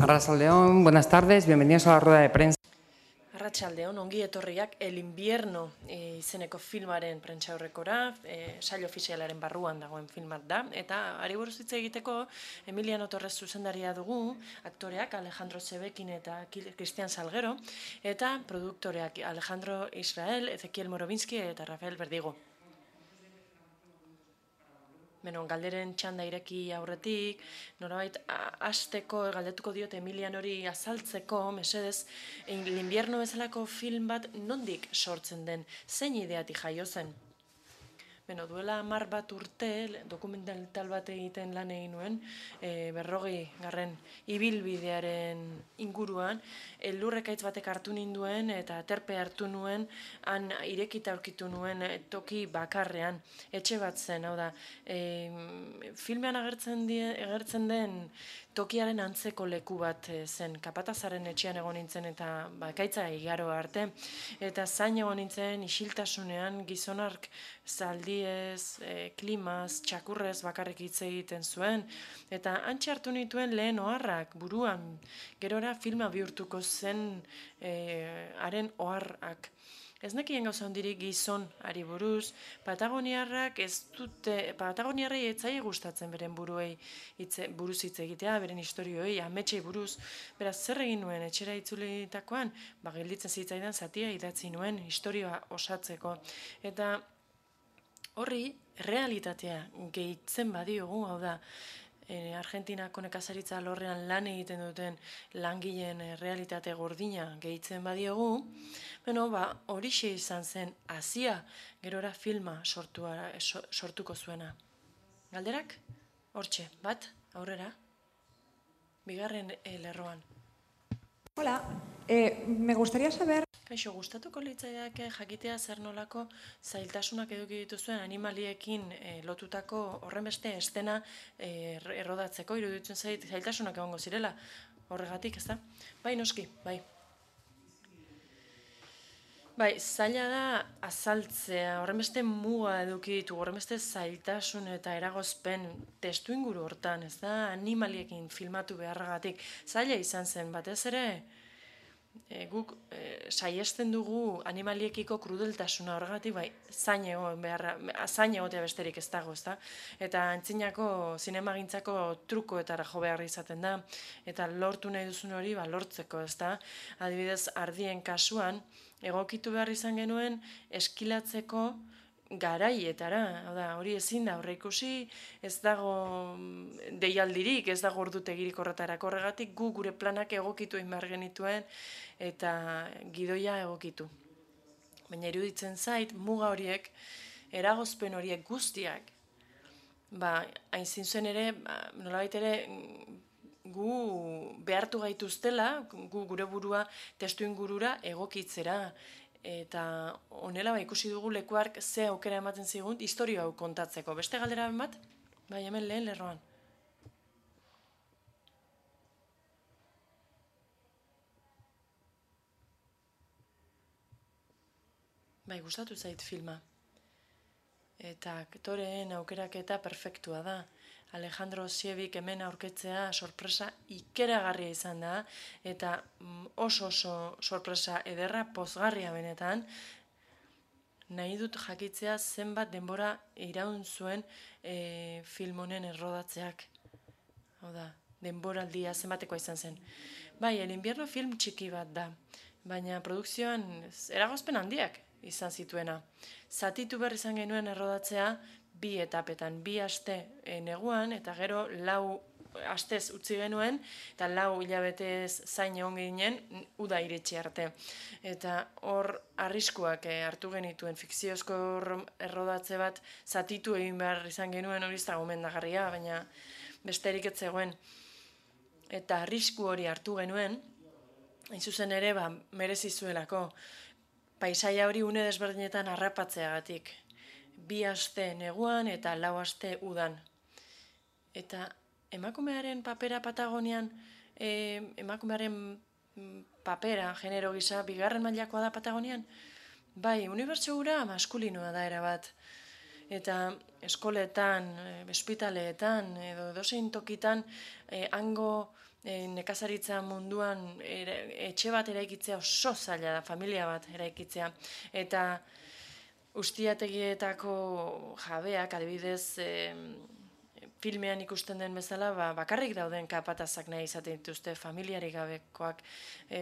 Arratsaldeon, buenas tardes, bienvenidos a la rueda de prensa. Arratsaldeon, ongi etorriak El Invierno izeneko filmaren prentsaurrekora, sail ofizialaren barruan dagoen filmat da, eta hari buruz hitz egiteko Emiliano Torres zuzendaria dugu, aktoreak Alejandro Zebekin eta Cristian Salguero, eta produktoreak Alejandro Israel, Ezequiel Morobinski eta Rafael Berdigo. Galderen txanda ireki aurretik, norabait hasteko galdetuko diot Emilianori azaltzeko, mesedez, El Invierno bezalako film bat nondik sortzen den, zein ideatik jaio zen? Duela 10 bat urte, dokumental bat egiten lan egin nuen, 40. ibilbidearen inguruan, lurrekaitz batek hartu ninduen eta aterpe hartu nuen, han irekita aurkitu nuen toki bakarrean, etxe bat zen, hau da, filmean agertzen den tokiaren antzeko leku bat zen, kapatazaren etxean egon nintzen eta bakaitza igaro arte, eta zain egon nintzen isiltasunean gizonark zaldiez, klimaz, txakurrez bakarrik hitz egiten zuen, eta hantxe hartu nituen lehen oharrak buruan, gerora filma bihurtuko zen haren oharrak. Ez nekien gauza hondirik gizon ari buruz, Patagoniarrak ez dute, Patagoniarrei ez zaie gustatzen beren buruz hitz egitea, beren historioei, ametsei buruz, beraz zer egin nuen etxera itzulitakoan, gelditzen zitzaidan zatia idatzi nuen historioa osatzeko. Eta horri realitatea gehitzen badiogu, hau da, Argentinako nekazaritza alorrean lan egiten duten langileen realitate gordina gehitzen badiogu, horixe izan zen hazia gerora filma sortuko zuena. Galderak? Hortxe, bat, aurrera, bigarren lerroan. Hola, me gustaría saber... Kaixo, gustatuko litzaiake jakitea zer nolako zailtasunak eduki dituzuen animaliekin lotutako horrenbeste estena errodatzeko, iruditzen zait zailtasunak egongo zirela horregatik, ez da? Bai, noski, bai. Bai, zaila da azaltzea, horrenbeste muga eduki ditu, horrenbeste zailtasun eta eragozpen testu inguru hortan, ez da? Animaliekin filmatu beharragatik. Zaila izan zen, batez ere, guk saiesten dugu animaliekiko krudeltasuna horregatik, bai, zain egotea besterik ez dago, ezta? Eta antzinako zinemagintzako trukoetara jo behar izaten da, eta lortu nahi duzun hori lortzeko, ezta? Adibidez, ardien kasuan, egokitu behar izan genuen eskilatzeko garaietara, hori ezin da aurreikusi, ez dago deialdirik, ez dago ordutegirik horretarako, horregatik gu gure planak egokitu egin behar genituen eta gidoia egokitu. Baina iruditzen zait, muga horiek, eragozpen horiek guztiak, hain zintzen ere, nolabait ere, gu behartu gaituztela, gu gure burua testu ingurura egokitzera, eta honela ikusi dugu lekuark ze aukera ematen zigun historio hau kontatzeko. Beste galdera bat? Bai, hemen lehen lerroan. Bai, gustatu zait filma. Eta aktoreen aukeraketa perfektua da. Alejandro Ziebik hemen aurketzea sorpresa ikeragarria izan da, eta oso sorpresa ederra, pozgarria benetan, nahi dut jakitzea zenbat denbora iraun zuen film honen errodatzeak. Hau da, denboraldia zenbatekoa izan zen. Bai, El Invierno film txiki bat da, baina produkzioan eragozpen handiak izan zituena. Zatitu behar izan genuen errodatzea 2 etapetan, 2 aste neguan, eta gero 4 astez utzi genuen, eta 4 hilabetez zain egon ginen, uda iritsi arte. Eta hor arriskuak hartu genituen fikziozko errodatze bat zatitu egin behar izan genuen, hori ez da gomendagarria, baina besterik ez zegoen. Eta arrisku hori hartu genuen, hain zuzen ere, merezi zuelako, paisaia hori une desberdinetan harrapatzeagatik. 2 aste neguan eta 4 aste udan. Eta emakumearen papera Patagonian, emakumearen papera, genero gisa, 2. mailakoa da Patagonian? Bai, unibertsio hura maskulinoa da erabat. Eta eskoletan, ospitaleetan, edo edozein tokitan, hango nekazaritza munduan etxe bat eraikitzea oso zaila da, familia bat eraikitzea. Eta ustiategietako jabeak, adibidez, filmean ikusten den bezala, bakarrik dauden kapatazak nahi izaten dituzte, familiarik gabekoak.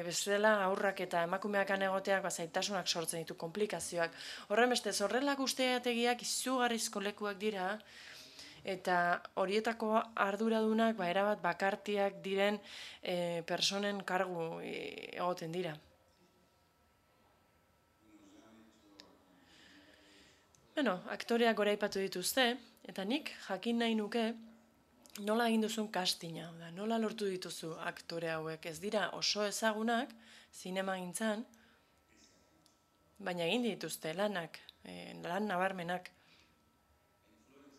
Bestela aurrak eta emakumeak anegoteak zailtasunak sortzen ditu, komplikazioak. Horren bestez, horrelak ustiategiak izugarrizko lekuak dira, eta horietako arduradunak erabat bakartiak diren personen kargu egoten dira. Aktoreak goraipatu dituzte, eta nik jakin nahi nuke nola egin duzun castinga, nola lortu dituzu aktore hauek. Ez dira oso ezagunak, zinemagintzan, baina egin dituzte lanak, lan nabarmenak.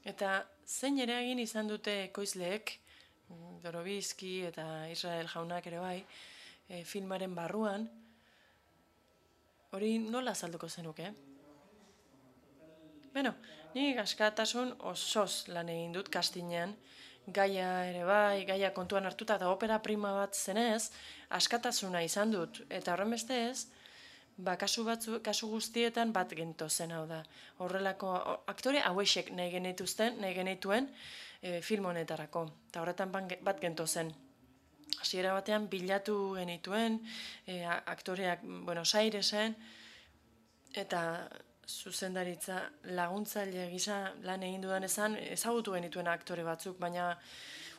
Eta zein ere egin izan dute ekoizleek, Dorobizki eta Israel jaunak ere bai, filmaren barruan, hori nola azalduko zenuke? Nik askatasun osoz lan egin dut castingean, gaia ere bai, gaia kontuan hartuta eta opera prima bat zenez, askatasuna izan dut. Eta horren bestez, kasu guztietan bat gentozen hau da. Horrelako aktore hauexek nahi genituen film honetarako. Eta horretan bat gentozen. Hasiera batean bilatu genituen aktoreak Buenos Airesen, eta zuzendaritza laguntzaile gisa lan egin dudan ezagutu genituen aktore batzuk, baina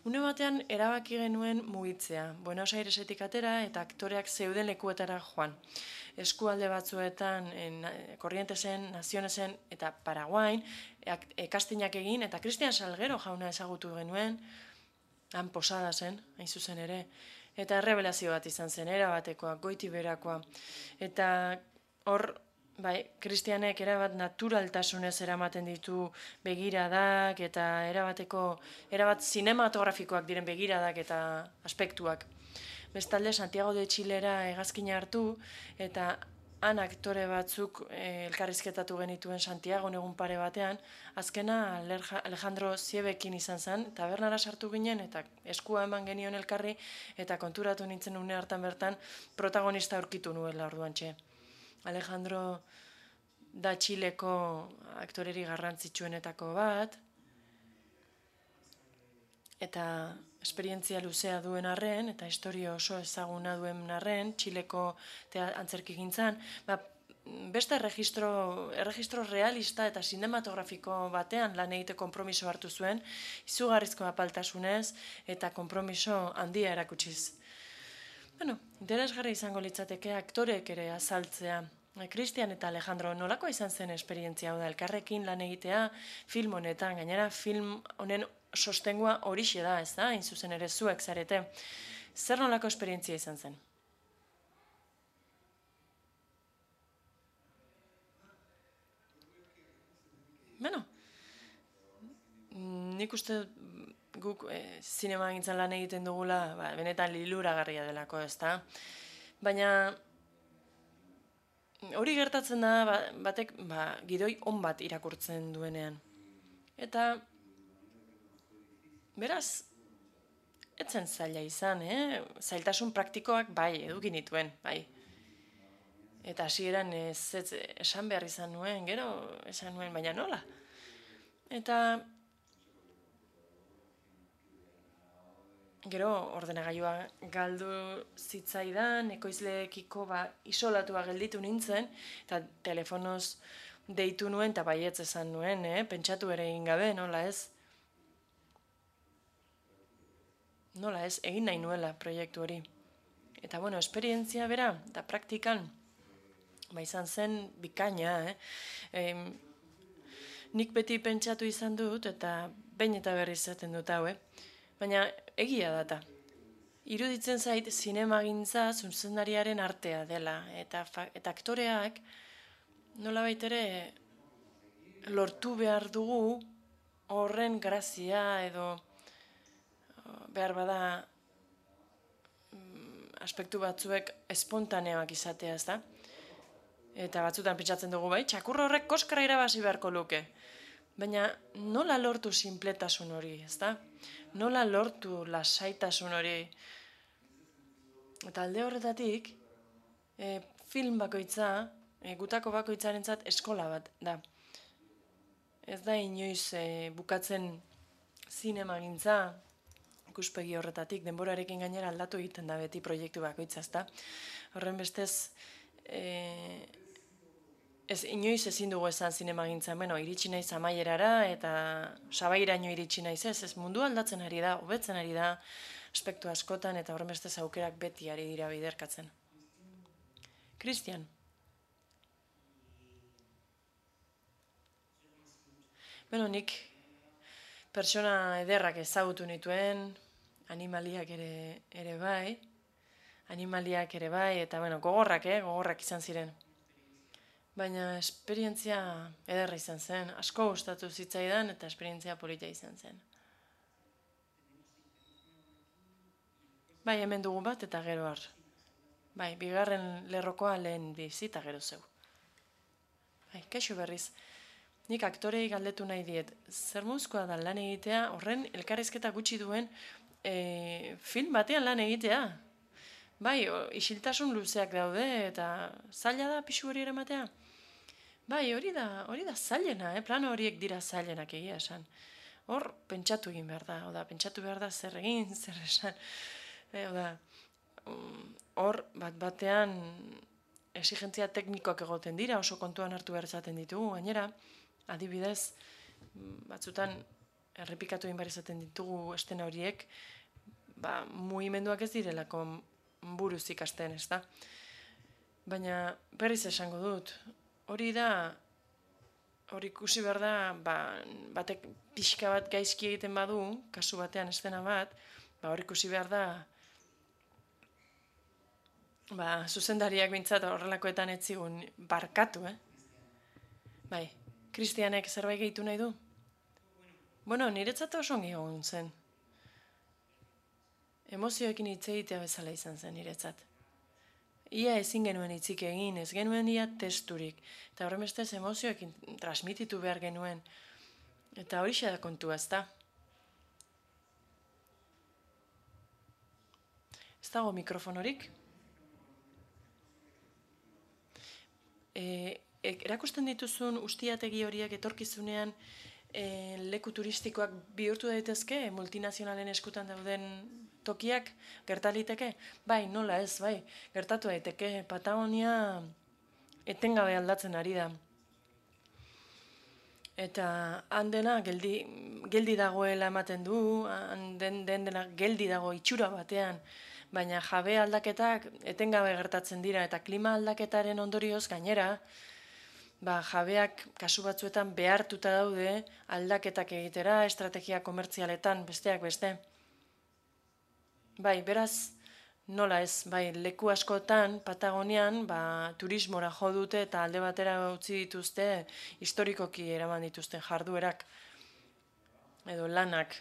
une batean erabaki genuen mugitzea. Buenos Airesetik atera eta aktoreak zeuden lekuetara joan. Eskualde batzuetan, Corrientesen, Nazionesen eta Paraguain, castingak egin, eta Cristian Salguero jauna ezagutu genuen, han Posada zen, hain zuzen ere, eta errebelazio bat izan zen, erabatekoa, goiti berakoa. Eta hor, Kristianek erabat naturaltasunez eramaten ditu begiradak eta erabat zinematografikoak diren begiradak eta aspektuak. Bestalde, Santiago de Txilera hegazkina hartu eta han aktore batzuk elkarrizketatu genituen Santiago egun pare batean, azkena Alejandro Ziebekin izan zen, tabernara sartu ginen eta eskua eman genion elkarri eta konturatu nintzen une hartan bertan protagonista aurkitu nuela orduantxe. Alejandro da Txileko aktoreri garrantzitsuenetako bat, eta esperientzia luzea duen arren, eta historia oso ezaguna duen arren, Txileko antzerkigintzan, beste erregistro realista eta sinematografiko batean lan egite konpromiso hartu zuen, izugarrizko apaltasunez eta konpromiso handia erakutsiz. Interesgarri izango litzateke aktoreek ere azaltzea. Cristian eta Alejandro, nolakoa izan zen esperientzia hau da, elkarrekin lan egitea film honetan, gainera film honen sostengua horixe da, ez da, hain zuzen ere zuek zarete. Zer nolako esperientzia izan zen? Nik uste guk zinema gintzen lan egiten dugula, benetan liluragarria delako, ez da? Baina hori gertatzen da batek gidoi on bat irakurtzen duenean. Eta beraz, etzen zaila izan, zailtasun praktikoak eduki nituen, Eta hasieran esan behar izan nuen, gero esan nuen, baina nola? Eta gero ordenagailua galdu zitzaidan, ekoizleekiko isolatua gelditu nintzen, eta telefonoz deitu nuen, eta baietz esan nuen, pentsatu ere egin gabe, nola ez? Nola ez, egin nahi nuela proiektu hori. Eta esperientzia bera, eta praktikan, izan zen bikaina, nik beti pentsatu izan dut, eta behin eta berriz zaten dut hau, baina egia data. Iruditzen zait zinemagintza zuzendariaren artea dela, eta aktoreak nolabait ere lortu behar dugu horren grazia edo behar bada aspektu batzuek espontaneoak izatea, ez da? Eta batzutan pentsatzen dugu txakur horrek koskara irabazi beharko luke. Baina nola lortu sinpletasun hori, ez da? Nola lortu lasaitasun hori? Eta alde horretatik, film bakoitza, gutako bakoitzarentzat eskola bat da. Ez da inoiz bukatzen zinemagintza, ikuspegi horretatik, denborarekin gainera aldatu egiten da beti proiektu bakoitza, ezta? Horren bestez, inoiz ezin dugu esan zinemagintza, iritsi naiz amaierara eta sabairaino iritsi naiz ez mundu aldatzen ari da, hobetzen ari da, aspektu askotan eta horren bestez aukerak beti ari dira biderkatzen. Christian. Nik pertsona ederrak ezagutu nituen, animaliak ere bai, eta gogorrak izan ziren. Baina esperientzia ederra izan zen, asko gustatu zitzaidan eta esperientzia polita izan zen. Bai, hemen dugu bat eta gero har. Bai, bigarren lerrokoa lehen bizita gero zeu. Bai, kaixo berriz. Nik aktorei galdetu nahi diet, zer mozkoa da lan egitea, horren elkarrizketa gutxi duen film batean lan egitea. Bai, isiltasun luzeak daude eta zaila da pixu hori eramatea. Bai, hori da zailena, plano horiek dira zailenak egia esan. Hor, pentsatu egin behar da, pentsatu behar da zer egin, zer esan. Hor, batean exigentzia teknikoak egoten dira, oso kontuan hartu behar izaten ditugu, gainera, adibidez, batzutan errepikatu egin behar izaten ditugu estena horiek, mugimenduak ez direlako buruz ikasten, ez da? Baina berriz esango dut, hori ikusi behar da, batek pixka bat gaizki egiten badu, kasu batean estena bat, hori ikusi behar da, zuzendariak bintzat horrelakoetan ez zigun barkatu, Bai, Christianek zerbait gehitu nahi du? Niretzat oso ongi egon zen. Emozioekin hitz egitea bezala izan zen niretzat. Ia ezin genuen hitzik egin, ez genuen ia testurik. Eta horren bestez emozioekin transmititu behar genuen. Eta hori da kontua, ez da? Ez dago mikrofonorik? Erakusten dituzun ustiategi horiek etorkizunean leku turistikoak bihurtu daitezke, multinazionalen eskutan dauden tokiak gertaliteke? Bai, nola ez, bai, gertatu daiteke. Patagonia etengabe aldatzen ari da. Eta handena geldi dagoela ematen du, dena geldi dago itxura batean, baina jabe aldaketak etengabe gertatzen dira eta klima aldaketaren ondorioz gainera, jabeak kasu batzuetan behartuta daude aldaketak egitera, estrategia komertzialetan, besteak beste. Bai, beraz, nola ez, leku askotan, Patagonian, turismora jo dute eta alde batera utzi dituzte, historikoki eraman dituzten jarduerak, edo lanak,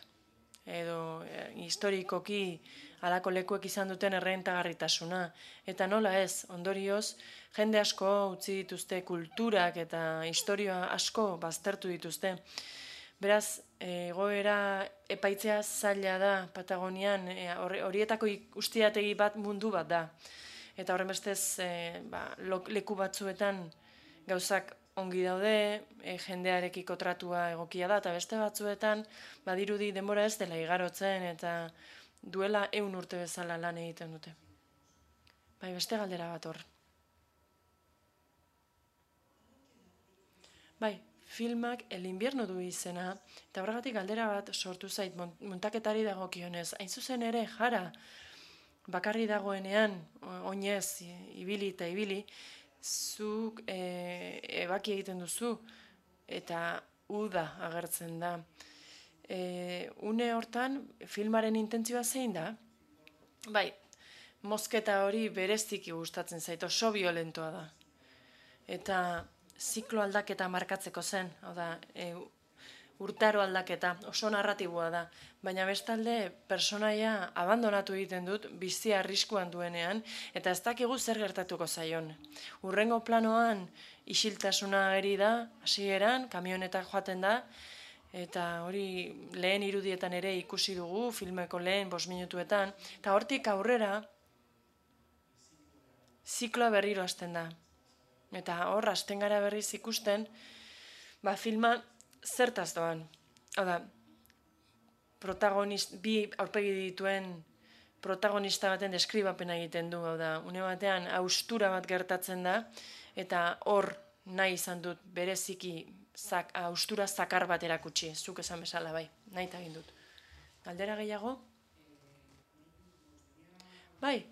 edo historikoki halako lekuek izan duten errentagarritasuna. Eta nola ez, ondorioz, jende asko utzi dituzte kulturak eta historia asko baztertu dituzte. Beraz, egoera epaitzea zaila da Patagonian, horietako ustiategi bat mundu bat da. Eta horren bestez, leku batzuetan gauzak ongi daude, jendearekiko tratua egokia da, eta beste batzuetan, badirudi denbora ez dela igarotzen, eta duela 100 urte bezala lan egiten dute. Beste galdera bat hor. Filmak El invierno du izena, eta horregatik galdera bat sortu zait muntaketari dagokionez. Hain zuzen ere, jara, bakarri dagoenean, oinez, ibili eta ibili, zuk ebaki egiten duzu, eta uda agertzen da. Une hortan, filmaren intentzioa zein da? Mozketa hori bereziki gustatzen zait, oso violentoa da. Eta ziklo aldaketa markatzeko zen, urtaro aldaketa, oso narratiboa da. Baina bestalde, personaia abandonatu egiten dut, bizia arriskuan duenean, eta ez dakigu zer gertatuko zaion. Hurrengo planoan, isiltasuna ageri da, hasieran, kamionetak joaten da, eta hori lehen irudietan ere ikusi dugu, filmeko lehen 5 minutuetan, eta hortik aurrera, zikloa berriro hasten da. Eta hor, hasten gara berriz ikusten, filma zertaz doan. Hau da, bi aurpegi dituen protagonista baten deskribapena egiten du, hau da, une batean haustura bat gertatzen da, eta hor nahi izan dut bereziki haustura zakar bat erakutsi, zuk esan bezala bai, nahi eta egin dut. Galdera gehiago? Bai,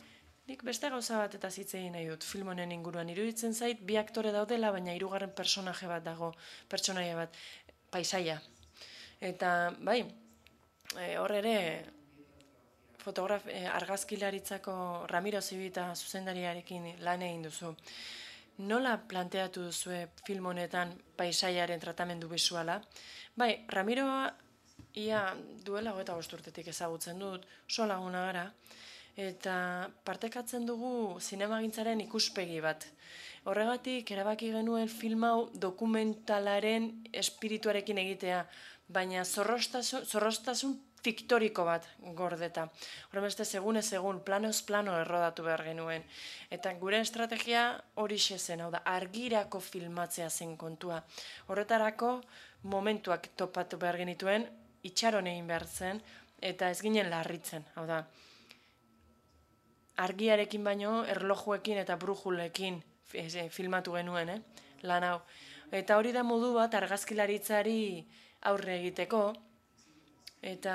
nik beste gauza bat eta hitz egin nahi dut film honen inguruan. Iruditzen zait, bi aktore daudela, baina hirugarren personaje bat dago, pertsonaia bat, paisaia. Eta, bai, hor ere, argazkilaritzako Ramiro Zibita zuzendariarekin lan egin duzu. Nola planteatu duzue film honetan paisaiaren tratamendu bisuala? Bai, Ramiroa ia duela 25 urtetik ezagutzen dut, oso laguna gara, eta partekatzen dugu zinemagintzaren ikuspegi bat. Horregatik, erabaki genuen film hau dokumentalaren espirituarekin egitea, baina zorroztasun fiktoriko bat gordeta. Horremeste, segunez egun, planoz plano errodatu behar genuen. Eta gure estrategia horixe zen, hau da, argirako filmatzea zen kontua. Horretarako momentuak topatu behar genituen, itxaron egin behar zen, eta ez ginen larritzen, hau da. Argiarekin baino, erlojuekin eta brujulekin filmatu genuen, lan hau. Eta hori da modu bat argazkilaritzari aurre egiteko, eta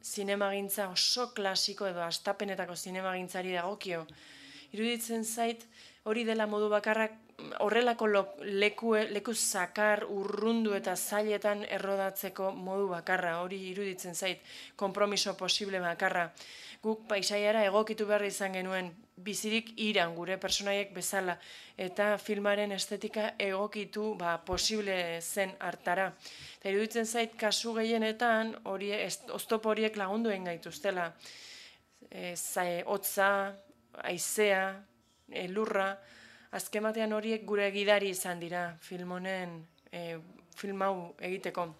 zinemagintza oso klasiko edo astapenetako zinemagintzari dagokio. Iruditzen zait, hori dela modu bakarrak horrelako leku zakar, urrundu eta zailetan errodatzeko modu bakarra. Hori iruditzen zait, konpromiso posible bakarra. Guk paisaiara egokitu behar izan genuen bizirik iran gure personaiek bezala eta filmaren estetika egokitu posible zen hartara. Eta iruditzen zait kasu gehienetan oztopo horiek lagundu egin gaituztela. Hotza, haizea, lurra, azken batean horiek gure gidari izan dira film hau egiteko.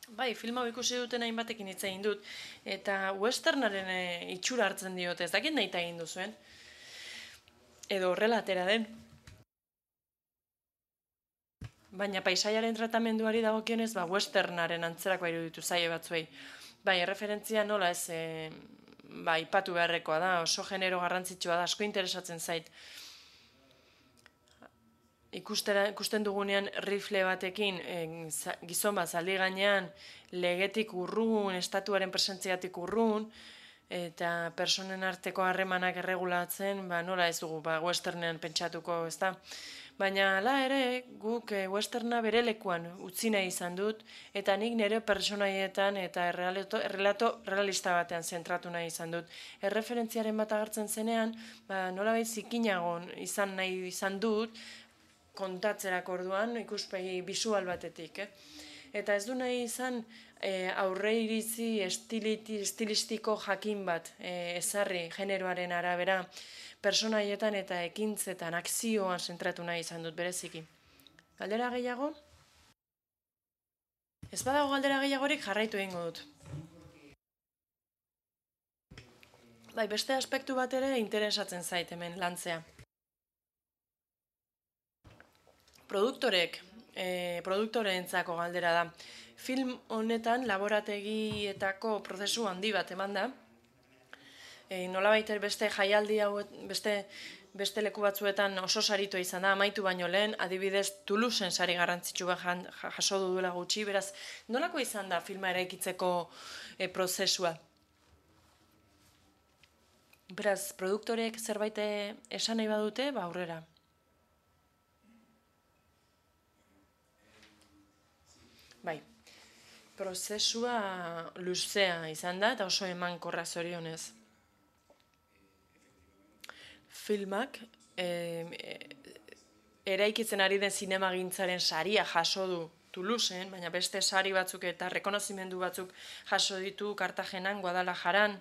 Bai, film hau ikusi duten hainbatekin hitz egin dut, eta westernaren itxura hartzen diote, ez dakit nahi egin duzuen. Edo horrela atera den. Baina paisaiaren tratamenduari dagokionez, westernaren antzerako iruditu zaie batzuei. Bai, erreferentzia nola ez, ipatu beharrekoa da, oso genero garrantzitsua da, asko interesatzen zait. Ikusten dugunean rifle batekin, gizon bat zaldi gainean, legetik urrun, estatuaren presentziatik urrun, eta personen arteko harremanak erregulatzen, nola ez dugu, westernean pentsatuko, ez da. Baina, hala ere, guk westerna bere lekuan utzi nahi izan dut, eta nik nire personaietan eta errelato realista batean zentratu nahi izan dut. Erreferentziaren bat agertzen zenean, nolabait zikinagon izan nahi izan dut, kontatzerako orduan, ikuspegi bisual batetik. Eta ez du nahi izan aurre iritzi estilistiko jakin bat ezarri generoaren arabera personaietan eta ekintzetan, akzioan zentratu nahi izan dut bereziki. Galdera gehiago? Ez badago galdera gehiagorik jarraitu egingo dut. Bai, beste aspektu bat ere interesatzen zait hemen lantzea. Produktoreentzako galdera da. Film honetan laborategietako prozesu handi bat eman da. Nolabait beste jaialdi hau, beste leku batzuetan oso saritu izan da, amaitu baino lehen, adibidez Toulouseen sari garrantzitsu bat jaso duela gutxi, beraz, nolako izan da filma eraikitzeko prozesua? Beraz, produktorek zerbait esan nahi badute, aurrera. Bai, prozesua luzea izan da eta oso emankorra zorionez. Filmak eraikitzen ari den zinemagintzaren saria jaso du Toulouseen, baina beste sari batzuk eta rekonozimendu batzuk jaso ditu Kartagenan, Guadalajaran.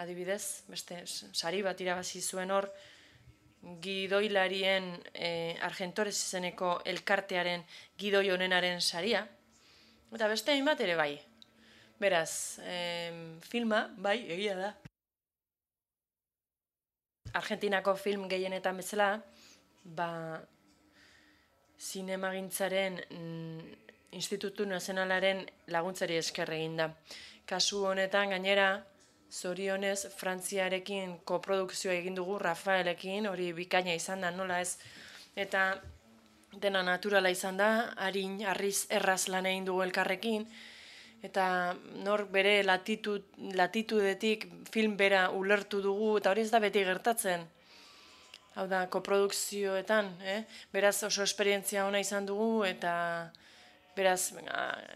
Adibidez, beste sari bat irabazi zuen hor, gidoilarien Argentores izeneko elkartearen gidoi honenaren saria. Eta beste hainbat ere bai. Beraz, filma, bai, egia da. Argentinako film gehienetan bezala, zinemagintzaren Institutu Nazionalaren laguntzari esker egin da. Kasu honetan gainera, zorionez, Frantziarekin koprodukzioa egin dugu, Rafaelekin, hori bikaina izan da, nola ez, eta dena naturala izan da, harin, harriz, erraz lan egin dugu elkarrekin, eta nor bere latitudetik film bera ulertu dugu, eta hori ez da beti gertatzen. Hau da, koprodukzioetan, beraz oso esperientzia ona izan dugu, eta beraz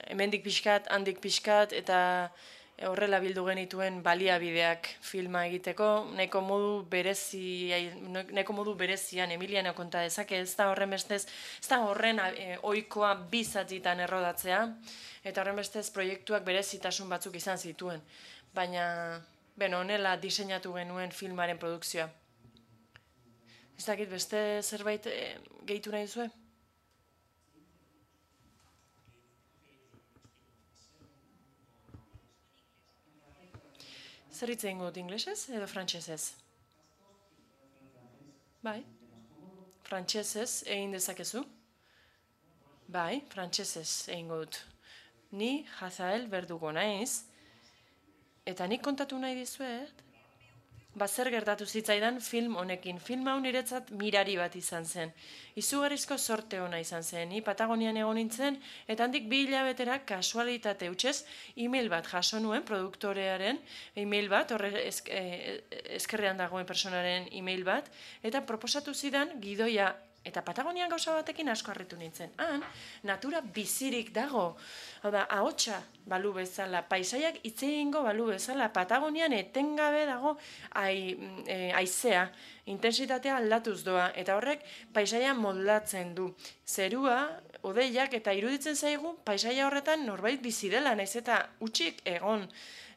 hemendik pixkat, handik pixkat, eta horrela bildu genituen baliabideak filma egiteko, nahiko modu berezian Emiliano konta dezake, ez da horren bestez, ez da horren ohikoa bi zatitan errodatzea, eta horren bestez proiektuak berezitasun batzuk izan zituen, baina honela diseinatu genuen filmaren produkzioa. Ez dakit beste zerbait gehitu nahi duzue? Zer hitz egingo dut inglesez edo frantsesez? Bai, frantsesez egin dezakezu? Bai, frantsesez egingo dut. Ni Hazael Verdugo naiz, eta nik kontatu nahi dizuet, zer gertatu zitzaidan film honekin. Film hau niretzat mirari bat izan zen. Izugarrizko sorte ona izan zen. Ni Patagonian egon nintzen, eta handik 2 hilabetera kasualitate hutsez e-mail bat jaso nuen produktorearen e-mail bat, horre eskerrean dagoen personaren e-mail bat, eta proposatu zidan gidoia. Eta Patagonian gauza batekin asko harritu nintzen. Han, natura bizirik dago. Hau da, ahotsa balu bezala, paisaiak hitz egingo balu bezala, Patagonian etengabe dago haizea, intensitatea aldatuz doa, eta horrek paisaia moldatzen du. Zerua, hodeiak, eta iruditzen zaigu, paisaia horretan norbait bizi dela, naiz eta hutsik egon.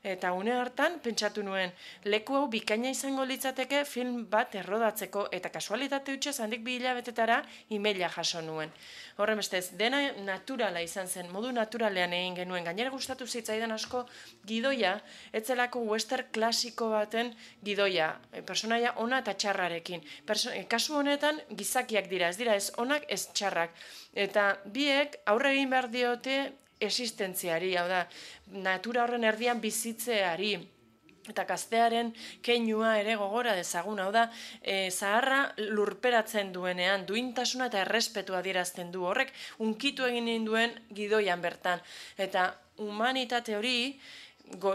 Eta une hartan pentsatu nuen, leku hau bikaina izango litzateke film bat errodatzeko, eta kasualitate hutsez handik 2 hilabetetara e-maila jaso nuen. Horren bestez, dena naturala izan zen, modu naturalean egin genuen. Gainera gustatu zitzaidan asko gidoia, etzelako western klasiko baten gidoia, personaia ona eta txarrarekin. Kasu honetan gizakiak dira, ez onak, ez txarrak. Eta biek aurre egin behar diote existentziari, hau da, natura horren erdian bizitzeari, eta gaztearen keinua ere gogora dezagun, hau da, zaharra lurperatzen duenean, duintasuna eta errespetua adierazten du, horrek unkitu egin duen gidoian bertan. Eta humanitate hori,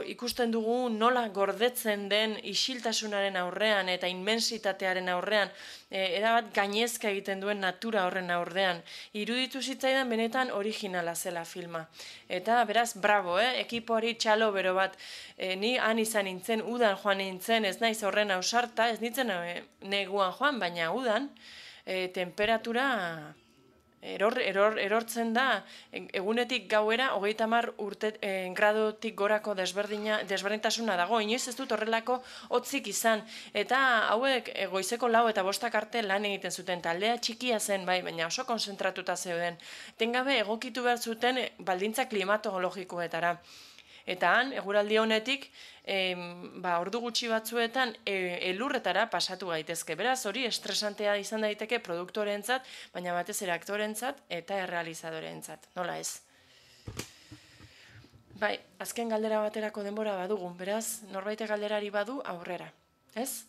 ikusten dugu nola gordetzen den isiltasunaren aurrean eta inmensitatearen aurrean, erabat gainezka egiten duen natura horren aurrean. Iruditu zitzaidan benetan originala zela filma. Eta beraz, bravo, ekipoari txalo bero bat, ni han izan nintzen, udan joan nintzen, ez naiz horren ausarta, ez nintzen neguan joan, baina udan, temperatura erortzen da, egunetik gauera, 30 gradotik gorako desberdintasuna dago, inoiz ez dut horrelako hotzik izan, eta hauek goizeko 4 eta 5 arte lan egiten zuten, taldea txikia zen, baina oso konzentratuta zeuden, tengabe egokitu behar zuten baldintza klimatologikoetara. Eta han, eguraldi honetik, ordu gutxi batzuetan elurretara pasatu gaitezke. Beraz, hori estresantea izan daiteke produktorentzat, baina batez ere aktorentzat eta errealizadorentzat. Nola ez? Bai, azken galdera baterako denbora badugu. Beraz, norbait galderari badu aurrera. Ez?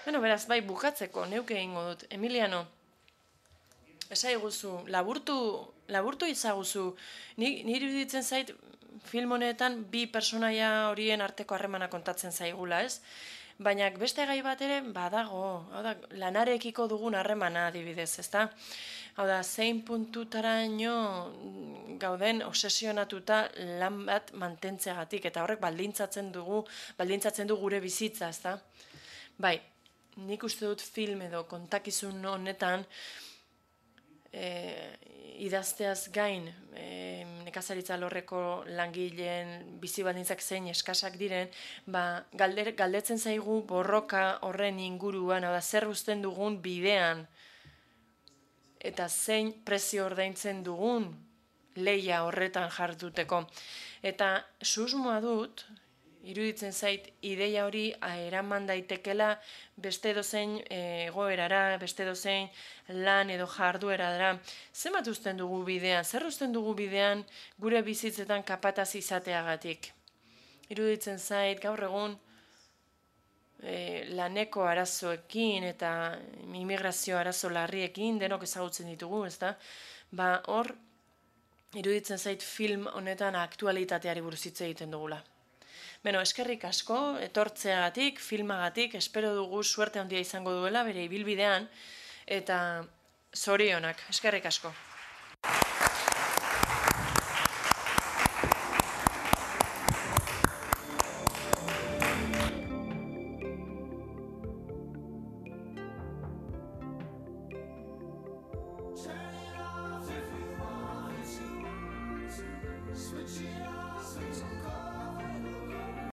Beraz, bai, bukatzeko, neuke egingo dut. Emiliano, esaiguzu, laburtu izaguzu, niri iruditzen zait, film honetan 2 personaia horien arteko harremana kontatzen zaigula, ez? Baina beste gai bat ere badago, lanarekiko dugun harremana adibidez, ezta? Hau da, zein puntutaraino gauden obsesionatuta lan bat mantentzeagatik, eta horrek baldintzatzen du gure bizitza, ezta? Bai, nik uste dut film edo kontakizun honetan, idazteaz gain, nekazaritza alorreko langileen bizi baldintzak zein eskasak diren, galdetzen zaigu borroka horren inguruan, zer uzten dugun bidean, eta zein prezio ordaintzen dugun lehia horretan jarduteko. Eta susmoa dut, iruditzen zait ideia hori eraman daitekela beste edozein egoerara, beste edozein lan edo jarduerara. Zenbat uzten dugu bidean, zer uzten dugu bidean gure bizitzetan kapataz izateagatik? Iruditzen zait gaur egun laneko arazoekin eta immigrazio arazo larriekin denok ezagutzen ditugu, ezta? Hor iruditzen zait film honetan aktualitateari buruz hitz egiten dugula. Eskerrik asko, etortzeagatik, filmagatik, espero dugu suerte handia izango duela bere ibilbidean, eta zorionak, eskerrik asko.